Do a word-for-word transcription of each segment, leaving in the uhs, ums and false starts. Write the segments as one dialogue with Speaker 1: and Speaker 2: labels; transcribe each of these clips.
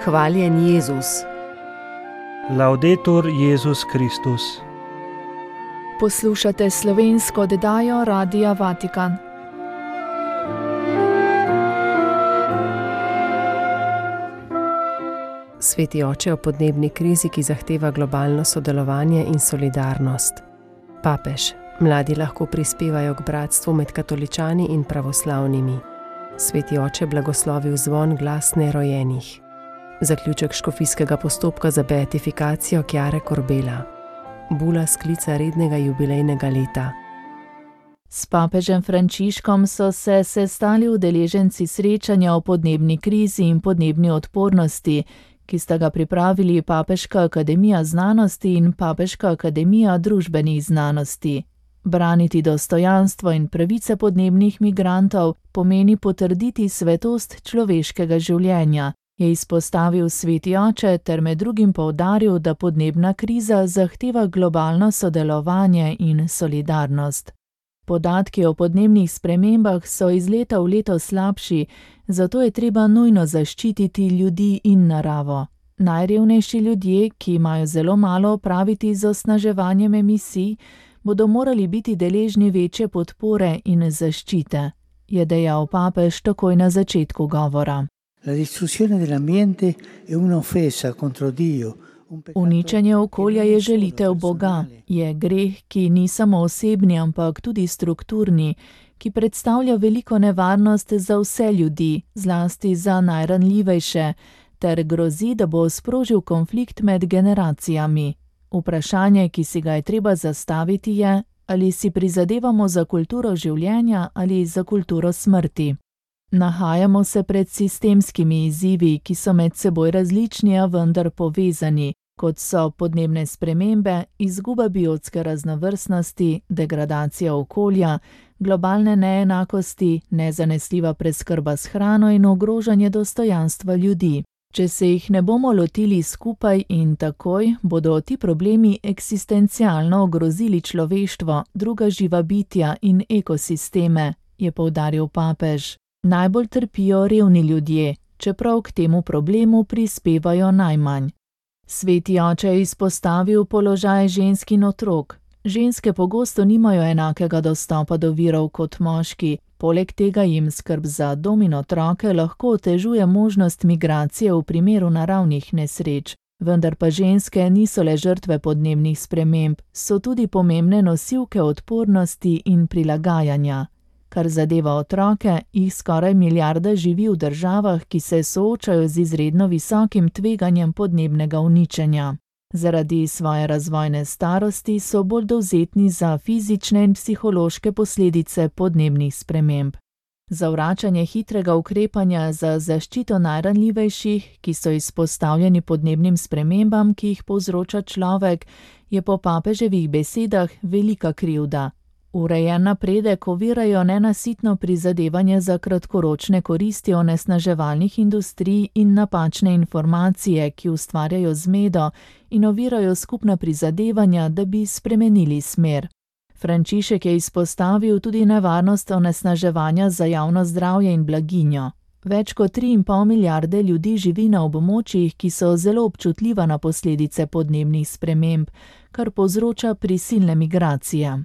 Speaker 1: Hvaljen Jezus.
Speaker 2: Laudetur Jezus Kristus.
Speaker 3: Poslušate slovensko oddajo Radia Vatikan.
Speaker 1: Sveti oče o podnebni krizi, ki zahteva globalno sodelovanje in solidarnost. Papež. Mladi lahko prispevajo k bratstvu med katoličani in pravoslavnimi. Sveti oče blagoslovil zvon glasne rojenih. Zaključek škofijskega postopka za beatifikacijo Chiare Corbella. Bula sklica rednega jubilejnega leta.
Speaker 3: S papežem Frančiškom so se sestali udeleženci srečanja o podnebni krizi in podnebni odpornosti, ki sta ga pripravili Papeška akademija znanosti in Papeška akademija družbenih znanosti. Braniti dostojanstvo in pravice podnebnih migrantov pomeni potrditi svetost človeškega življenja, je izpostavil sveti oče ter med drugim poudaril, da podnebna kriza zahteva globalno sodelovanje in solidarnost. Podatki o podnebnih spremembah so iz leta v leto slabši, zato je treba nujno zaščititi ljudi in naravo. Najrevnejši ljudje, ki imajo zelo malo opraviti z osnaževanjem emisij, bodo morali biti deležni večje podpore in zaščite, je dejal papež takoj na začetku govora.
Speaker 4: La distruzione dell'ambiente è un'offesa contro Dio.
Speaker 3: Uničenje okolja je želitev Boga, je greh, ki ni samo osebni, ampak tudi strukturni, ki predstavlja veliko nevarnost za vse ljudi, zlasti za najranljivejše, ter grozi, da bo sprožil konflikt med generacijami. Vprašanje, ki si ga je treba zastaviti, je, ali si prizadevamo za kulturo življenja ali za kulturo smrti. Nahajamo se pred sistemskimi izzivi, ki so med seboj različni, a vendar povezani, kot so podnebne spremembe, izguba biotske raznovrstnosti, degradacija okolja, globalne neenakosti, nezanesljiva preskrba s hrano in ogrožanje dostojanstva ljudi. Če se jih ne bomo lotili skupaj in takoj, bodo ti problemi eksistencialno ogrozili človeštvo, druga živa bitja in ekosisteme, je poudaril papež. Najbolj trpijo revni ljudje, čeprav k temu problemu prispevajo najmanj. Sveti oče je izpostavil položaj žensk in otrok. Ženske pogosto nimajo enakega dostopa do virov kot moški, poleg tega jim skrb za dom in otroke lahko otežuje možnost migracije v primeru naravnih nesreč. Vendar pa ženske niso le žrtve podnebnih sprememb, so tudi pomembne nosilke odpornosti in prilagajanja. Kar zadeva otroke, jih skoraj milijarda živi v državah, ki se soočajo z izredno visokim tveganjem podnebnega uničenja. Zaradi svoje razvojne starosti so bolj dovzetni za fizične in psihološke posledice podnebnih sprememb. Zavračanje hitrega ukrepanja za zaščito najranljivejših, ki so izpostavljeni podnebnim spremembam, ki jih povzroča človek, je po papeževih besedah velika krivda. Urejen napredek ovirajo nenasitno prizadevanje za kratkoročne koristi onesnaževalnih industrij in napačne informacije, ki ustvarjajo zmedo in ovirajo skupna prizadevanja, da bi spremenili smer. Frančišek je izpostavil tudi nevarnost onesnaževanja za javno zdravje in blaginjo. Več kot tri in pol milijarde ljudi živi na območjih, ki so zelo občutljiva na posledice podnebnih sprememb, kar povzroča prisilne migracije.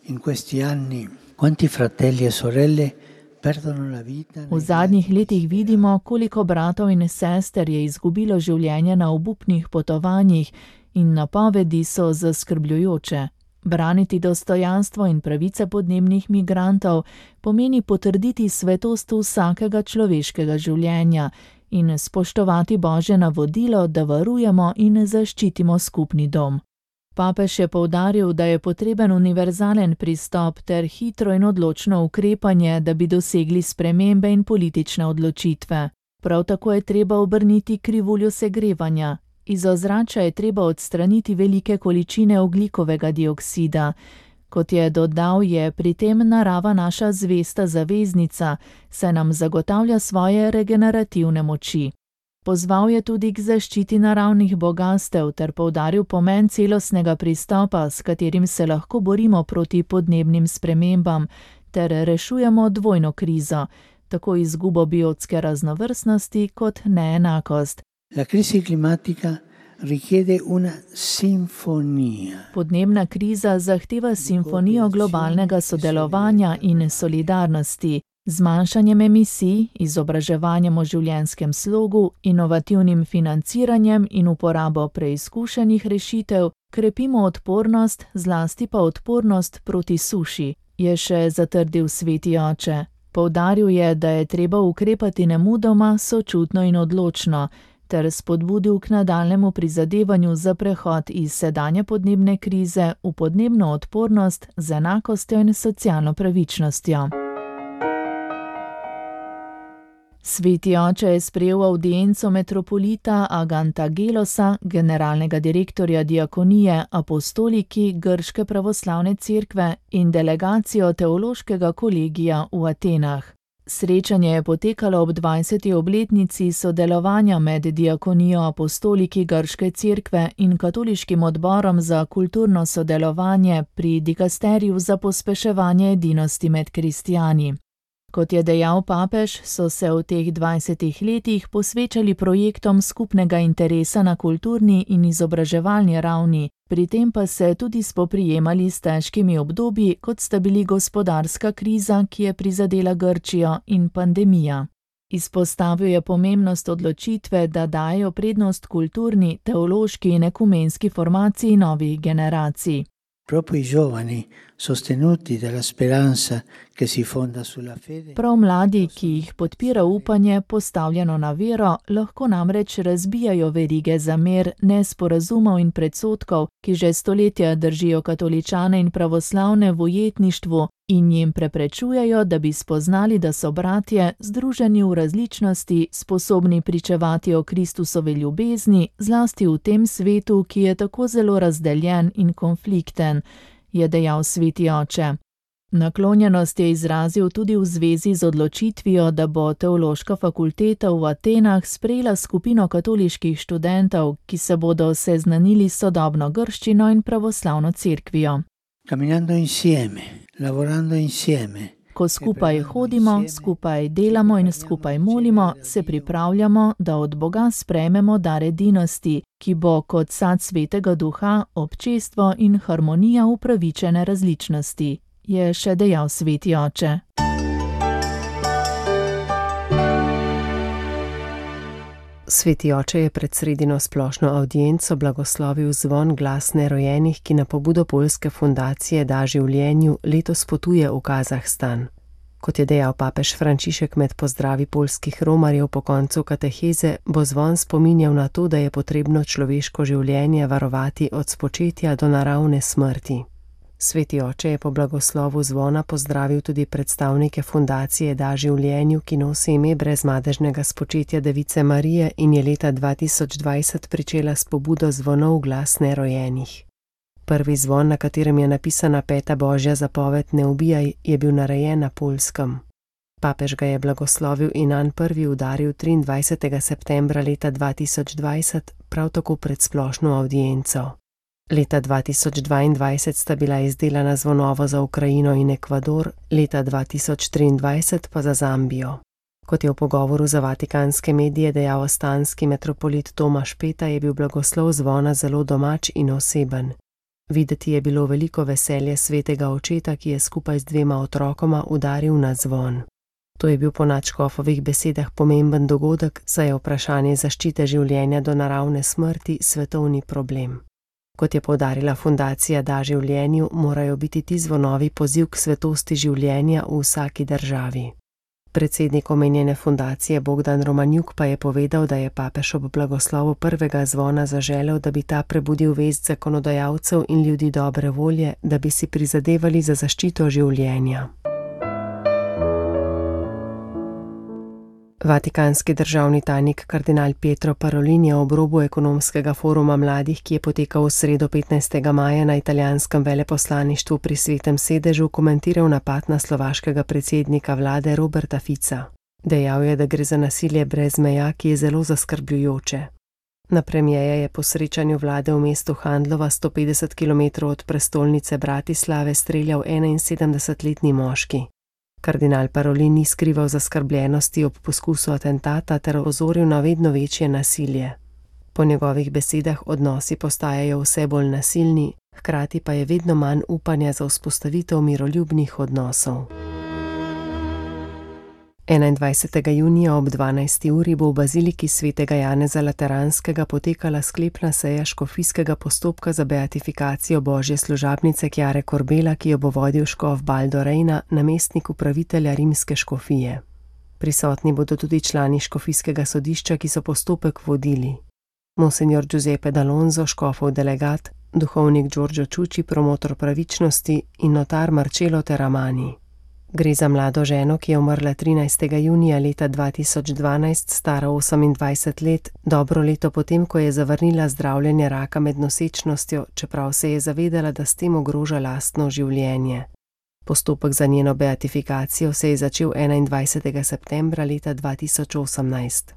Speaker 4: In questi anni, quanti fratelli e sorelle perdono la vita.
Speaker 3: V zadnjih letih vidimo, koliko bratov in sester je izgubilo življenje na obupnih potovanjih in napovedi so zaskrbljujoče. Braniti dostojanstvo in pravice podnebnih migrantov pomeni potrditi svetost vsakega človeškega življenja in spoštovati Božje navodilo, da varujemo in zaščitimo skupni dom. Papež je poudaril, da je potreben univerzalen pristop ter hitro in odločno ukrepanje, da bi dosegli spremembe in politične odločitve. Prav tako je treba obrniti krivuljo segrevanja. Iz ozračja je treba odstraniti velike količine ogljikovega dioksida. Kot je dodal, je pri tem narava naša zvesta zaveznica, saj nam zagotavlja svoje regenerativne moči. Pozval je tudi k zaščiti naravnih bogastev ter poudaril pomen celostnega pristopa, s katerim se lahko borimo proti podnebnim spremembam ter rešujemo dvojno krizo, tako izgubo biotske raznovrstnosti kot neenakost,
Speaker 4: La crisi climatica richiede una sinfonia.
Speaker 3: Podnebna kriza zahteva simfonijo globalnega sodelovanja in solidarnosti, zmanjšanjem emisij, izobraževanjem o življenjskem slogu, inovativnim financiranjem in uporabo preizkušenih rešitev, krepimo odpornost, zlasti pa odpornost proti suši, je še zatrdil sveti oče. Poudaril je, da je treba ukrepati nemudoma, sočutno in odločno, ter spodbudil k nadaljnjemu prizadevanju za prehod iz sedanje podnebne krize v podnebno odpornost z enakostjo in socialno pravičnostjo. Sveti oče je sprejel avdienco metropolita Agantagelosa, generalnega direktorja diakonije Apostoliki Grške pravoslavne cerkve in delegacijo teološkega kolegija v Atenah. Srečanje je potekalo ob dvajseti obletnici sodelovanja med diakonijo Apostoliki Grške cerkve in Katoliškim odborom za kulturno sodelovanje pri dikasteriju za pospeševanje edinosti med kristjani. Kot je dejal papež, so se v teh dvajsetih letih posvečali projektom skupnega interesa na kulturni in izobraževalni ravni, pri tem pa se tudi spoprijemali s težkimi obdobji, kot sta bili gospodarska kriza, ki je prizadela Grčijo, in pandemija. Izpostavil je pomembnost odločitve, da dajo prednost kulturni, teološki in ekumenski formaciji novih generacij.
Speaker 4: Proprio i giovani, sostenuti dalla speranza che si fonda sulla fede.
Speaker 3: Prav mladi, ki jih podpira upanje, postavljeno na vero, lahko namreč razbijajo verige zamer, nesporazumov in predsodkov, ki že stoletja držijo katoličane in pravoslavne v ujetništvu in jim preprečujejo, da bi spoznali, da so bratje, združeni v različnosti, sposobni pričevati o Kristusovi ljubezni, zlasti v tem svetu, ki je tako zelo razdeljen in konflikten, je dejal sveti oče. Naklonjenost je izrazil tudi v zvezi z odločitvijo, da bo teološka fakulteta v Atenah sprejela skupino katoliških študentov, ki se bodo seznanili s sodobno grščino in pravoslavno cerkvijo.
Speaker 4: Camminando insieme, lavorando insieme.
Speaker 3: Ko skupaj hodimo, skupaj delamo in skupaj molimo, se pripravljamo, da od Boga sprejmemo dar edinosti, ki bo kot sad svetega duha, občestvo in harmonija upravičene različnosti, je še dejal sveti oče.
Speaker 1: Sveti oče je pred sredino splošno avdienco blagoslovil zvon Glas nerojenih, ki na pobudo poljske fundacije Da življenju letos potuje v Kazahstan. Kot je dejal papež Frančišek med pozdravi poljskih romarjev po koncu kateheze, bo zvon spominjal na to, da je potrebno človeško življenje varovati od spočetja do naravne smrti. Sveti oče je po blagoslovu zvona pozdravil tudi predstavnike fundacije Da življenju, ki nosi ime brezmadežnega spočetja Device Marije in je leta dva tisoč dvajset pričela s pobudo zvonov Glas nerojenih. Prvi zvon, na katerem je napisana peta božja zapoved Ne ubijaj, je bil narejen na Poljskem. Papež ga je blagoslovil in nanj prvi udaril triindvajsetega septembra leta dva tisoč dvajset, prav tako pred splošno avdienco. Leta dva tisoč dvaindvajset sta bila izdelana zvonovo za Ukrajino in Ekvador, leta dva tisoč triindvajset pa za Zambijo. Kot je v pogovoru za vatikanske medije dejal ostanski metropolit Tomaž Peta, je bil blagoslov zvona zelo domač in oseben. Videti je bilo veliko veselje svetega očeta, ki je skupaj z dvema otrokoma udaril na zvon. To je bil po nadškofovih besedah pomemben dogodek, saj je vprašanje zaščite življenja do naravne smrti svetovni problem. Kot je poudarila fundacija Da življenju, morajo biti ti zvonovi poziv k svetosti življenja v vsaki državi. Predsednik omenjene fundacije Bogdan Romanjuk pa je povedal, da je papež ob blagoslovu prvega zvona zaželel, da bi ta prebudil vest zakonodajalcev in ljudi dobre volje, da bi si prizadevali za zaščito življenja. Vatikanski državni tajnik kardinal Pietro Parolin je ob robu ekonomskega foruma mladih, ki je potekal v sredo petnajstega maja na italijanskem veleposlaništvu pri Svetem sedežu, komentiral napad na slovaškega predsednika vlade Roberta Fica. Dejal je, da gre za nasilje brez meja, ki je zelo zaskrbljujoče. Na premierja je po srečanju vlade v mestu Handlova sto petdeset kilometrov od prestolnice Bratislave streljal enainsedemdesetletni moški. Kardinal Parolin ni skrival zaskrbljenosti ob poskusu atentata ter opozoril na vedno večje nasilje. Po njegovih besedah odnosi postajajo vse bolj nasilni, hkrati pa je vedno manj upanja za vzpostavitev miroljubnih odnosov. enaindvajsetega junija ob dvanajsti uri bo v baziliki svetega Janeza Lateranskega potekala sklepna seja škofijskega postopka za beatifikacijo božje služabnice Chiare Corbella, ki jo bo vodil škof Baldo Reina, namestnik upravitelja rimske škofije. Prisotni bodo tudi člani škofijskega sodišča, ki so postopek vodili. Monsignor Giuseppe D'Alonso, škofov delegat, duhovnik Giorgio Čuči, promotor pravičnosti in notar Marcello Teramani. Gre za mlado ženo, ki je umrla trinajstega junija leta dva tisoč dvanajst, stara osemindvajset let, dobro leto potem, ko je zavrnila zdravljenje raka med nosečnostjo, čeprav se je zavedala, da s tem ogroža lastno življenje. Postopek za njeno beatifikacijo se je začel enaindvajsetega septembra leta dva tisoč osemnajst.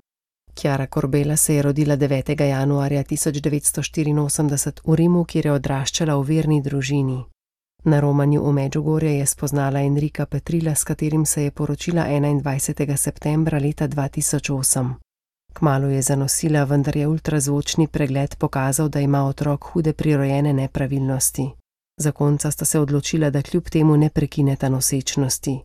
Speaker 1: Chiara Corbella se je rodila devetega januarja tisoč devetsto štiriinosemdeset v Rimu, kjer je odraščala v verni družini. Na romanju v Medžugorje je spoznala Enrika Petrila, s katerim se je poročila enaindvajsetega septembra leta dva tisoč osem. Kmalu je zanosila, vendar je ultrazvočni pregled pokazal, da ima otrok hude prirojene nepravilnosti. Zakonca sta se odločila, da kljub temu ne prekineta nosečnosti.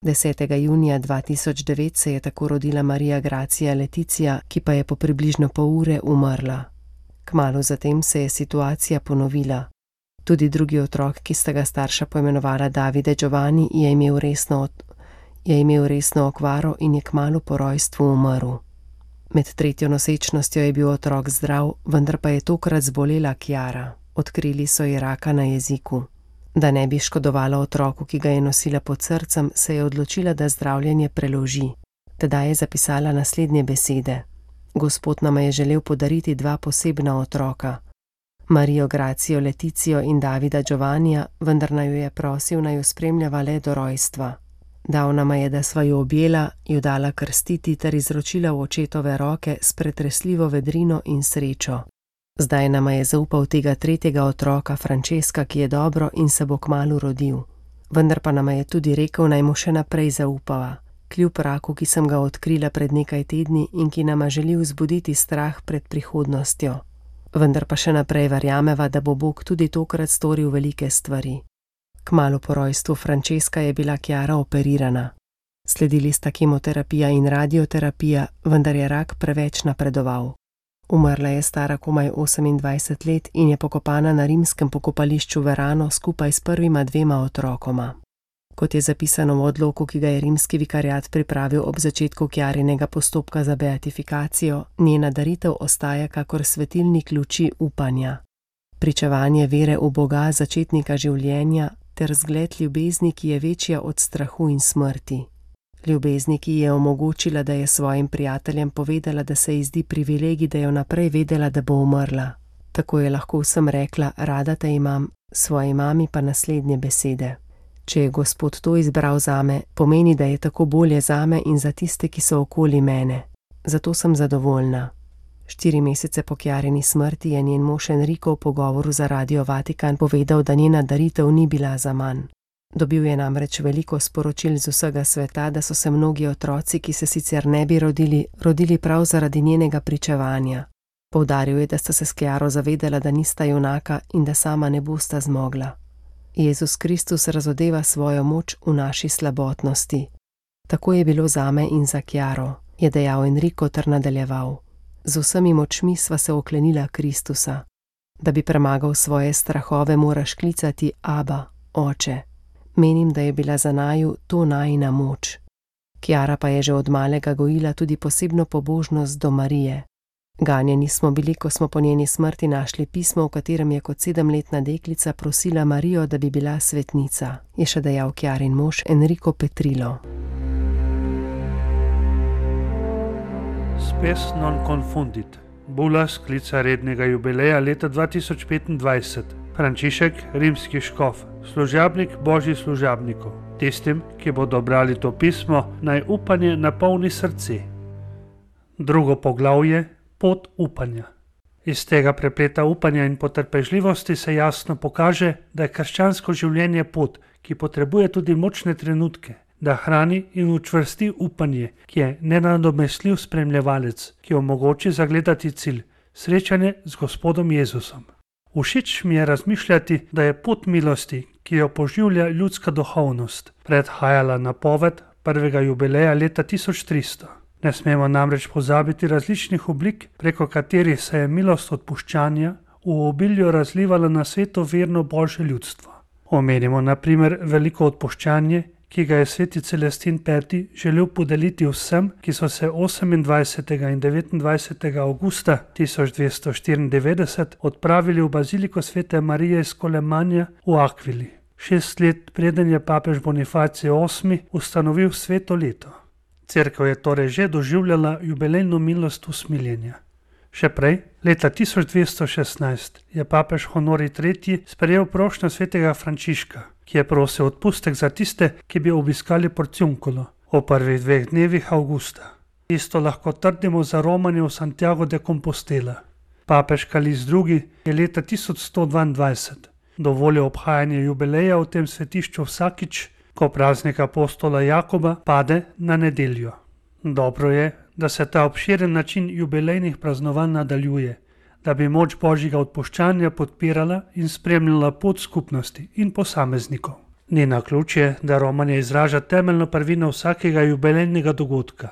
Speaker 1: desetega junija dva tisoč devet se je tako rodila Marija Gracia Leticia, ki pa je po približno pol ure umrla. Kmalu zatem se je situacija ponovila. Tudi drugi otrok, ki sta ga starša poimenovala Davide Giovanni, je imel resno, je imel resno okvaro in je kmalu po rojstvu umrl. Med tretjo nosečnostjo je bil otrok zdrav, vendar pa je tokrat zbolela Chiara. Odkrili so ji raka na jeziku. Da ne bi škodovala otroku, ki ga je nosila pod srcem, se je odločila, da zdravljenje preloži. Tedaj je zapisala naslednje besede. Gospod nama je želel podariti dva posebna otroka. Marijo Gracio Leticijo in Davida Giovannija, vendar naj jo je prosil, naj jo spremljava le do rojstva. Dal nama je, da sva jo objela, jo dala krstiti ter izročila v očetove roke s pretresljivo vedrino in srečo. Zdaj nama je zaupal tega tretjega otroka, Francesca, ki je dobro in se bo kmalu rodil. Vendar pa nama je tudi rekel, naj mu še naprej zaupava. Kljub raku, ki sem ga odkrila pred nekaj tedni in ki nama želi vzbuditi strah pred prihodnostjo. Vendar pa še naprej verjameva, da bo Bog tudi tokrat storil velike stvari. Kmalu po rojstvu Francesca je bila Chiara operirana. Sledili sta kemoterapija in radioterapija, vendar je rak preveč napredoval. Umrla je stara komaj osemindvajset let in je pokopana na rimskem pokopališču Verano skupaj s prvima dvema otrokoma. Kot je zapisano v odloku, ki ga je rimski vikariat pripravil ob začetku Chiarinega postopka za beatifikacijo, njena daritev ostaja kakor svetilnik luči upanja. Pričevanje vere v Boga, začetnika življenja, ter zgled ljubezni, ki je večja od strahu in smrti. Ljubezni, ki je omogočila, da je svojim prijateljem povedala, da se ji zdi privilegij, da je vnaprej vedela, da bo umrla. Tako je lahko vsem rekla, rada te imam, svoji mami pa naslednje besede. Če je Gospod to izbral zame, pomeni, da je tako bolje zame in za tiste, ki so okoli mene. Zato sem zadovoljna. Štiri mesece po Chiarini smrti je njen mož Enrico v pogovoru za Radio Vatikan povedal, da njena daritev ni bila zaman. Dobil je namreč veliko sporočil z vsega sveta, da so se mnogi otroci, ki se sicer ne bi rodili, rodili prav zaradi njenega pričevanja. Poudaril je, da sta se s Chiaro zavedala, da nista junaka in da sama ne bosta zmogla. Jezus Kristus razodeva svojo moč v naši slabotnosti. Tako je bilo zame in za Chiaro, je dejal Enrico ter nadaljeval. Z vsemi močmi sva se oklenila Kristusa. Da bi premagal svoje strahove, moraš klicati Aba, Oče. Menim, da je bila za naju to najina moč. Chiara pa je že od malega gojila tudi posebno pobožnost do Marije. Ganjeni smo bili, ko smo po njeni smrti našli pismo, v katerem je kot sedemletna deklica prosila Marijo, da bi bila svetnica, je še dejal Chiarin mož Enrico Petrilo.
Speaker 2: Spes non confundit. Bula sklica rednega jubileja leta dva tisoč petindvajset. Frančišek, rimski škof, služabnik božjih služabnikov. Tistim, ki bodo brali to pismo, naj upanje napolni srce. Drugo poglavje, pot upanja. Iz tega prepleta upanja in potrpežljivosti se jasno pokaže, da je krščansko življenje pot, ki potrebuje tudi močne trenutke, da hrani in učvrsti upanje, ki je nenadomestljiv spremljevalec, ki omogoči zagledati cilj, srečanje z Gospodom Jezusom. Všeč mi je razmišljati, da je pot milosti, ki jo poživlja ljudska duhovnost, predhajala napoved prvega jubileja leta tisoč tristo. Ne smemo namreč pozabiti različnih oblik, preko katerih se je milost odpuščanja v obilju razlivala na svetu verno Božje ljudstvo. Omenimo na primer veliko odpuščanje, ki ga je sveti Celestin peti želel podeliti vsem, ki so se osemindvajsetega in devetindvajsetega avgusta tisoč dvesto štiriindevetdeset odpravili v baziliko svete Marije iz Kolemanja v Akvili. Šest let preden je papež Bonifacij osmi ustanovil sveto leto. Cerkev je torej že doživljala jubilejno milost usmiljenja. Še prej, leta tisoč dvesto šestnajst, je papež Honorij tretji sprejel prošnjo svetega Frančiška, ki je prosil odpustek za tiste, ki bi obiskali Porciuncolo v prvih dveh dnevih avgusta. Isto lahko trdimo za romanje v Santiago de Compostela. Papež Kalist drugi je leta tisoč sto dvaindvajset dovolil obhajanje jubileja v tem svetišču vsakič, ko praznik apostola Jakoba pade na nedeljo. Dobro je, da se ta obširen način jubilejnih praznovanj nadaljuje, da bi moč Božjega odpuščanja podpirala in spremljala pot skupnosti in posameznikov. Ni naključje, da romanje izraža temeljno prvino vsakega jubilejnega dogodka.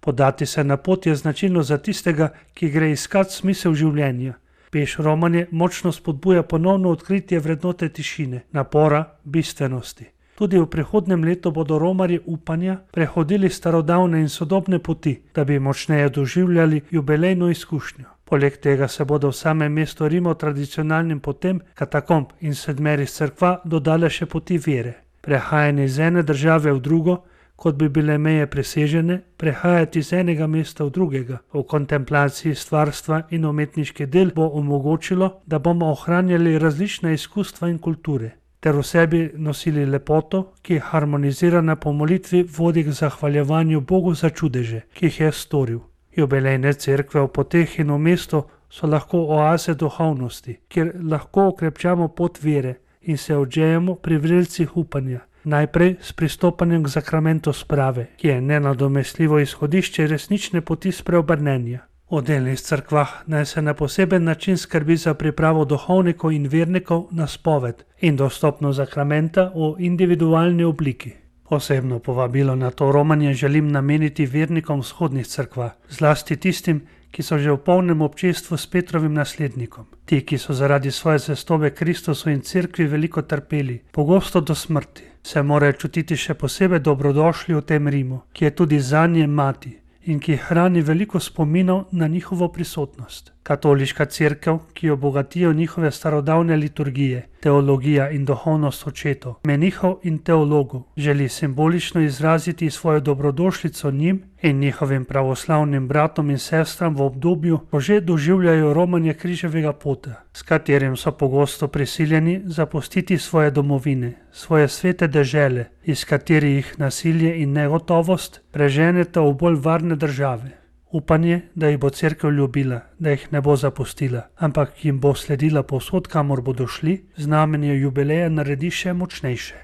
Speaker 2: Podati se na pot je značilno za tistega, ki gre iskat smisel življenja. Peš romanje močno spodbuja ponovno odkritje vrednote tišine, napora, bistvenosti. Tudi v prihodnem letu bodo romarji upanja prehodili starodavne in sodobne poti, da bi močneje doživljali jubilejno izkušnjo. Poleg tega se bodo v samem mestu Rima tradicionalnim potem katakomb in sedmerih cerkva dodale še poti vere. Prehajanje iz ene države v drugo, kot bi bile meje presežene, prehajati iz enega mesta v drugega, v kontemplaciji stvarstva in umetniški del bo omogočilo, da bomo ohranjali različne izkustva in kulture, ter v sebi nosili lepoto, ki harmonizirana po molitvi vodi k zahvaljevanju Bogu za čudeže, ki jih je storil. Jubilejne cerkve v poteh in v mestu so lahko oaze duhovnosti, kjer lahko okrepčamo pot vere in se odžejemo pri vrelcih upanja, najprej s pristopanjem k zakramentu sprave, ki je nenadomestljivo izhodišče resnične poti spreobrnenja. V delnih cerkvah naj se na poseben način skrbi za pripravo duhovnikov in vernikov na spoved in dostopno zakramenta v individualni obliki. Posebno povabilo na to romanje želim nameniti vernikom vzhodnih cerkva, zlasti tistim, ki so že v polnem občestvu s Petrovim naslednikom. Ti, ki so zaradi svoje zvestobe Kristusu in cerkvi veliko trpeli, pogosto do smrti, se morajo čutiti še posebej dobrodošli v tem Rimu, ki je tudi zanje mati in ki hrani veliko spominov na njihovo prisotnost. Katoliška cerkev, ki jo bogatijo njihove starodavne liturgije, teologija in duhovnost očetov, menihov in teologov, želi simbolično izraziti svojo dobrodošlico njim in njihovim pravoslavnim bratom in sestram v obdobju, ko že doživljajo romanje križevega pota, s katerim so pogosto prisiljeni zapustiti svoje domovine, svoje svete dežele, iz katerih jih nasilje in negotovost preženeta v bolj varne države. Upanje, da jih bo cerkev ljubila, da jih ne bo zapustila, ampak jim bo sledila povsod, kamor bodo šli, znamenje jubileja naredi še močnejše.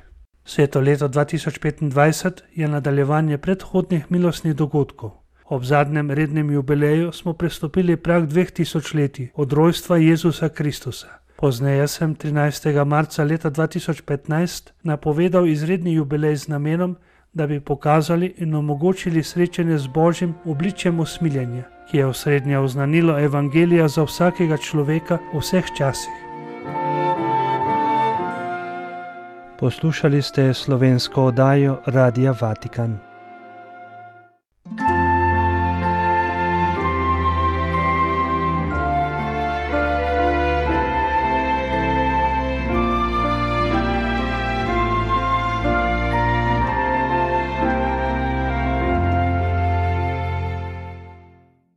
Speaker 2: Sveto leto dva tisoč petindvajset je nadaljevanje predhodnih milostnih dogodkov. Ob zadnjem rednem jubileju smo prestopili prag dveh tisočletij od rojstva Jezusa Kristusa. Pozneje sem trinajstega marca leta dva tisoč petnajst napovedal izredni jubilej z namenom, da bi pokazali in omogočili srečanje z Božjim obličjem usmiljenja, ki je osrednje oznanilo evangelija za vsakega človeka v vseh časih. Poslušali ste slovensko oddajo Radia Vatikan.